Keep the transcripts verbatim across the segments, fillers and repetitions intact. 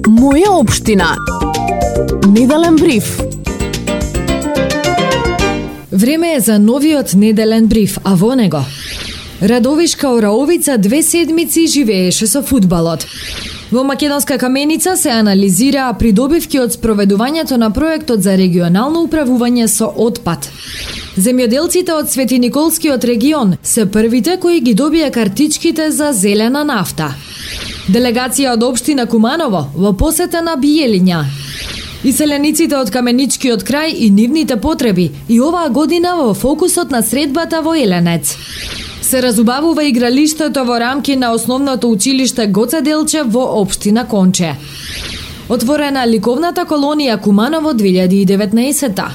Моја општина. Неделен бриф. Време е за новиот неделен бриф, а во него Радовишка Ораовица две седмици живееше со фудбалот. Во Македонска Каменица се анализираа придобивки од спроведувањето на проектот за регионално управување со отпад. Земјоделците од Свети Николскиот регион се првите кои ги добија картичките за зелена нафта. Делегација од општина Куманово во посета на Биелиња. Иселениците од Каменичкиот крај и нивните потреби и оваа година во фокусот на средбата во Еленец. Се разубавува игралиштето во рамки на основното училиште Гоце Делчев во општина Конче. Отворена ликовната колонија Куманово две илјади и деветнаесетта.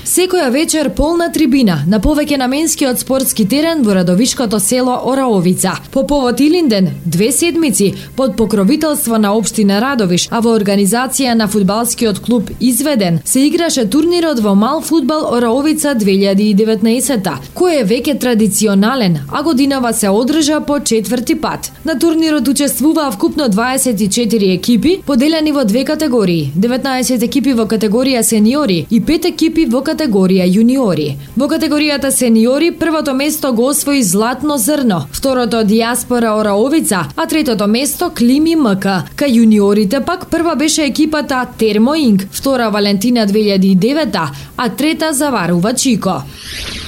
Секоја вечер полна трибина на повеќе наменскиот спортски терен во радовишкото село Ораовица. По повод Илинден, две седмици под покровителство на општина Радовиш, а во организација на фудбалскиот клуб Изведен, се играше турнирот во мал фудбал Ораовица две илјади и деветнаесетта, кој е веќе традиционален, а годинава се одржа по четврти пат. На турнирот учествуваа вкупно дваесет и четири екипи, поделени во две категории: деветнаесет екипи во категорија сениори и пет екипи во категорија јуниори. Во категоријата сениори првото место го освои Златно зрно, второто Диаспора Ораовица, а третото место Клими МК. Кај јуниорите пак прва беше екипата Термо Инк, втора Валентина две илјади и девета, а трета Заварува Чико.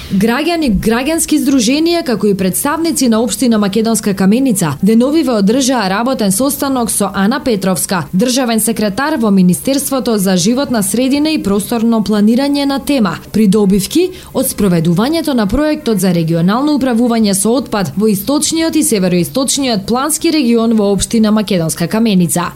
Граѓани, граѓански здруженија, како и представници на општина Македонска Каменица, деновиве одржаа работен состанок со Ана Петровска, државен секретар во Министерството за животна средина и просторно планирање на тема придобивки од спроведувањето на проектот за регионално управување со отпад во источниот и североисточниот плански регион во општина Македонска Каменица.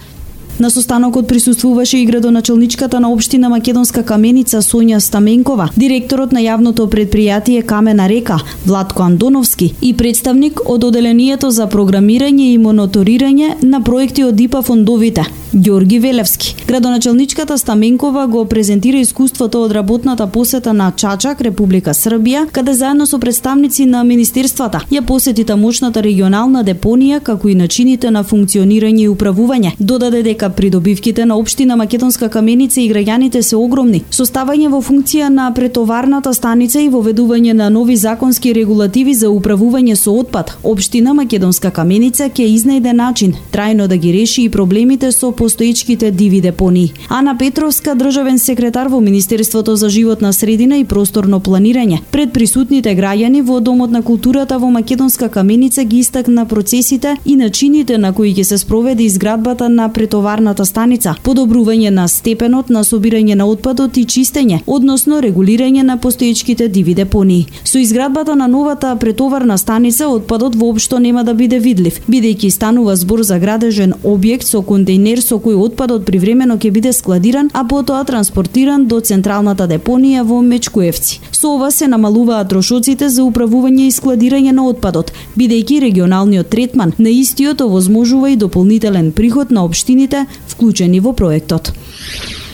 На состанокот присуствуваше и градоначалничката на општина Македонска Каменица Сонја Стаменкова, директорот на јавното предпријатие Камена река Владко Андоновски и представник од оделението за програмирање и мониторирање на проекти од ИПА фондовите Ѓорги Велевски. Градоначалничката Стаменкова го презентира искуството од работната посета на Чачак, Република Србија, каде заедно со представници на министерствата ја посети тамошната регионална депонија, како и начините на функционирање и управување. Додаде дека придобивките на општина Македонска Каменица и граѓаните се огромни. Составање во функција на претоварната станица и воведување на нови законски регулативи за управување со отпад, општина Македонска Каменица ќе изнајде начин трајно да ги реши и проблемите со постоечките диви депонии. Ана Петровска, државен секретар во Министерството за животна средина и просторно планирање, пред присутните граѓани во Домот на културата во Македонска Каменица ги истакна процесите и начините на кои ќе се спроведе изградбата на претоварната станица, подобрување на степенот на собирање на отпадот и чистење, односно регулирање на постоечките диви депонии. Со изградбата на новата претоварна станица отпадот воопшто нема да биде видлив, бидејќи станува збор за градежен објект со контејнер со кој отпадот привремено ќе биде складиран, а потоа транспортиран до централната депонија во Мечкуевци. Со ова се намалуваат трошоците за управување и складирање на отпадот, бидејќи регионалниот третман на истиот овозможува и дополнителен приход на општините вклучени во проектот.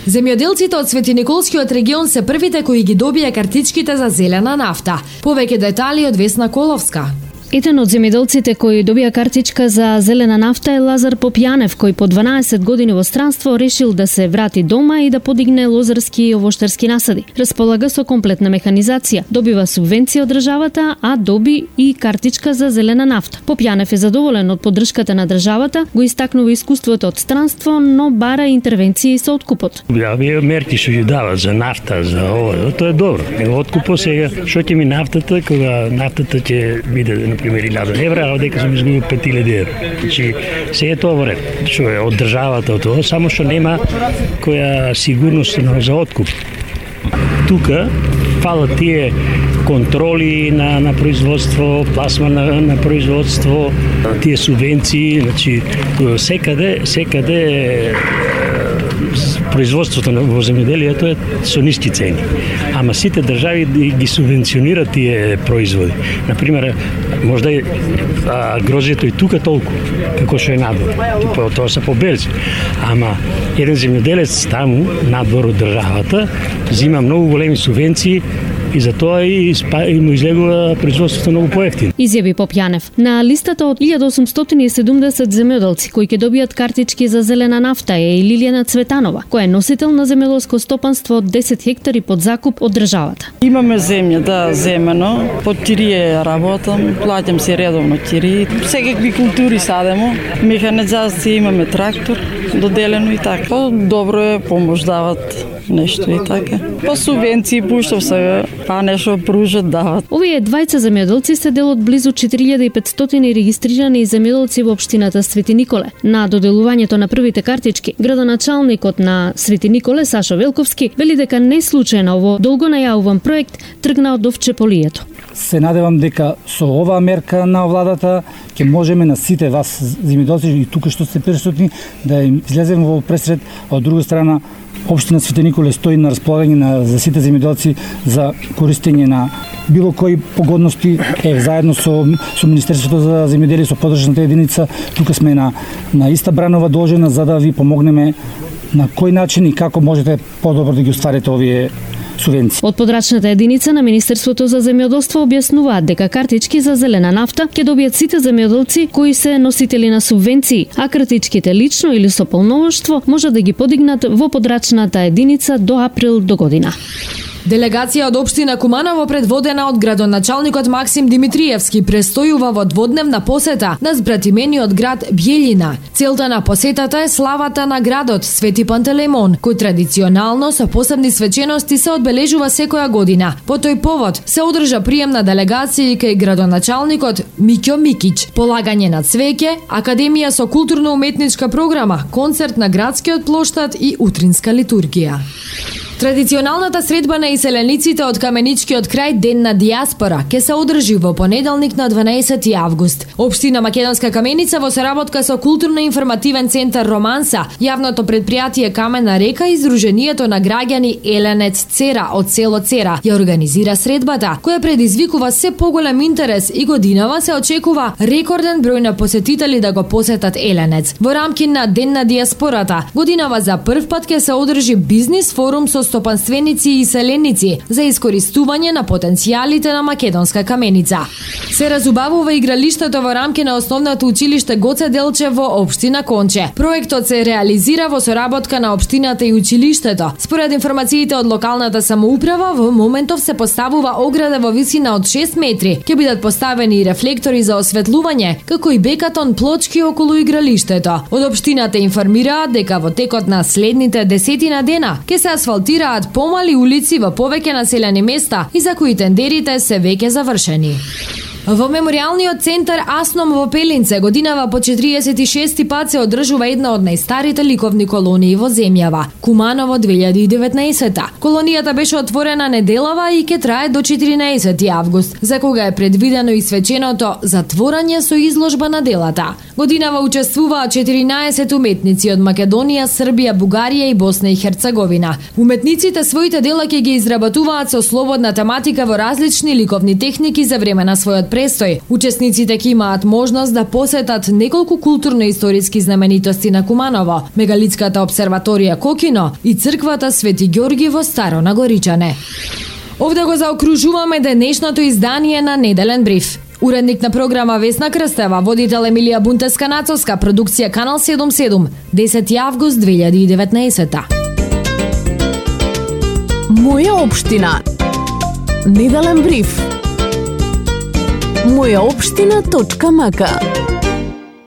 Земјоделците од Свети Николскиот регион се првите кои ги добија картичките за зелена нафта. Повеќе детали од Весна Коловска. Еден од земјоделците кои добија картичка за зелена нафта е Лазар Попјанев, кој по дванаесет години во странство решил да се врати дома и да подигне лозарски и овоштарски насади. Располага со комплетна механизација, добива субвенција од државата, а доби и картичка за зелена нафта. Попјанев е задоволен од поддршката на државата, го истакнува искуството од странство, но бара интервенции со откупот. Овие мерки што ги дават за нафта, за ова, тоа е добро. Откупот сега, што ќе ми нафтата, кога нафтата ќе биде пример илјада евра, а дека сум изгубил пет илјади евра. Значи, се е тоа во ред, што е од државата од тоа, само што нема која сигурност за откуп. Тука фала тие контроли на, на производство, пласма на, на производство, тие субвенции, значи секаде, секаде производството во земјоделието е со ниски цени. Ама сите држави ги субвенционираат тие производи. Например, можда и грозјето и тука толку, како што е надвор. Типа, тоа се поберзи. Ама еден земјоделец таму, надвор од државата, зима многу големи субвенции и затоа и, и му излегува производството многу поевтино. Изјави Попјанев. На листата од илјада осумстотини и седумдесет земјоделци кои ќе добијат картички за зелена нафта е и Лилијана Цветанова, која е носител на земјоделско стопанство од десет хектари под закуп од државата. Имаме земја, да, земено. Под тирие работам, плаќам се редовно тирии. Секакви култури садемо, механизација, имаме трактор, доделено и така. По добро е, помош дават нешто и така. По субвенции пуштав се, па нешто пружат дават. Овие двајца земјоделци се дел од близу четири илјади и петстотини регистрирани земјоделци во општината Свети Николе. На доделувањето на првите картички, градоначалникот на Свети Николе Сашо Велковски вели дека не случајно ово долго најавуван проект тргна од овчеполието. Се надевам дека со оваа мерка на владата ќе можеме на сите вас земјоделци и тука што сте присутни да им излеземе во пресред, а од друга страна општина Свети Николе стои на располагање на за сите земјоделци за користење на било кои погодности. Е, заедно со со Министерството за земјоделие, со подршната единица, тука сме на на иста бранова должена за да ви помогнеме на кој начин и како можете подобро да ги остварите овие субвенции. Од подрачната единица на Министерството за земјоделство објаснуваат дека картички за зелена нафта ќе добијат сите земјоделци кои се носители на субвенции, а картичките лично или со полномоштво може да ги подигнат во подрачната единица до април до година. Делегација од општина Куманово, предводена од градоначалникот Максим Димитриевски, престојува во дводневна посета на збратимениот град Бјелина. Целта на посетата е славата на градот Свети Пантелеймон, кој традиционално со посебни свечености се одбележува секоја година. По тој повод се одржа прием на делегации кај градоначалникот Миќо Микиć, полагање на цвеќе, академија со културно-уметничка програма, концерт на градскиот плоштад и утринска литургија. Традиционалната средба на иселениците од Каменичкиот крај Ден на дијаспора ќе се одржи во понеделник на дванаесети август. Општина Македонска Каменица во соработка со културно-информативен центар Романса, јавното претпријатие Камена река и Сдруженијето на граѓани Еленец Цера од село Цера ја организира средбата, која предизвикува се поголем интерес и годинава се очекува рекорден број на посетители да го посетат Еленец. Во рамки на Ден на дијаспората, годинава за прв пат ќе се одржи бизнис форум со стопанственици и селеници за искористување на потенцијалите на Македонска Каменица. Се разубавува игралиштето во рамки на основното училиште Гоце Делчев во општина Конче. Проектот се реализира во соработка на општината и училиштето. Според информациите од локалната самоуправа, во моментов се поставува ограда во висина од шест метри. Ќе бидат поставени и рефлектори за осветлување, како и бекатон плочки околу игралиштето. Од општината информираат дека во текот на следните десетина дена ќе се асфалтира помали улици во повеќе населени места и за кои тендерите се веќе завршени. Во меморијалниот центар Асном во Пелинце годинава по четириесет и шести пат се одржува една од најстарите ликовни колонии во земјава, Куманово две илјади и деветнаесета. Колонијата беше отворена неделава и ќе трае до четиринаесети август, за кога е предвидено и свеченото затворање со изложба на делата. Годинава учествуваат четиринаесет уметници од Македонија, Србија, Бугарија и Босна и Херцеговина. Уметниците своите дела ќе ги изработуваат со слободна тематика во различни ликовни техники за време на својот престој. Учесниците ќе имаат можност да посетат неколку културно-историски знаменитости на Куманово, мегалитската обсерваторија Кокино и црквата Свети Ѓорги во Старо Нагоричане. Овде го заокружуваме денешното издание на Неделен бриф. Уредник на програма Весна Крстева, водител Емилија Бунтеска-Нацовска, продукција Канал седумдесет и седум, десети август две илјади и деветнаесета. Моја општина. Неделен бриф. моја општина точка м к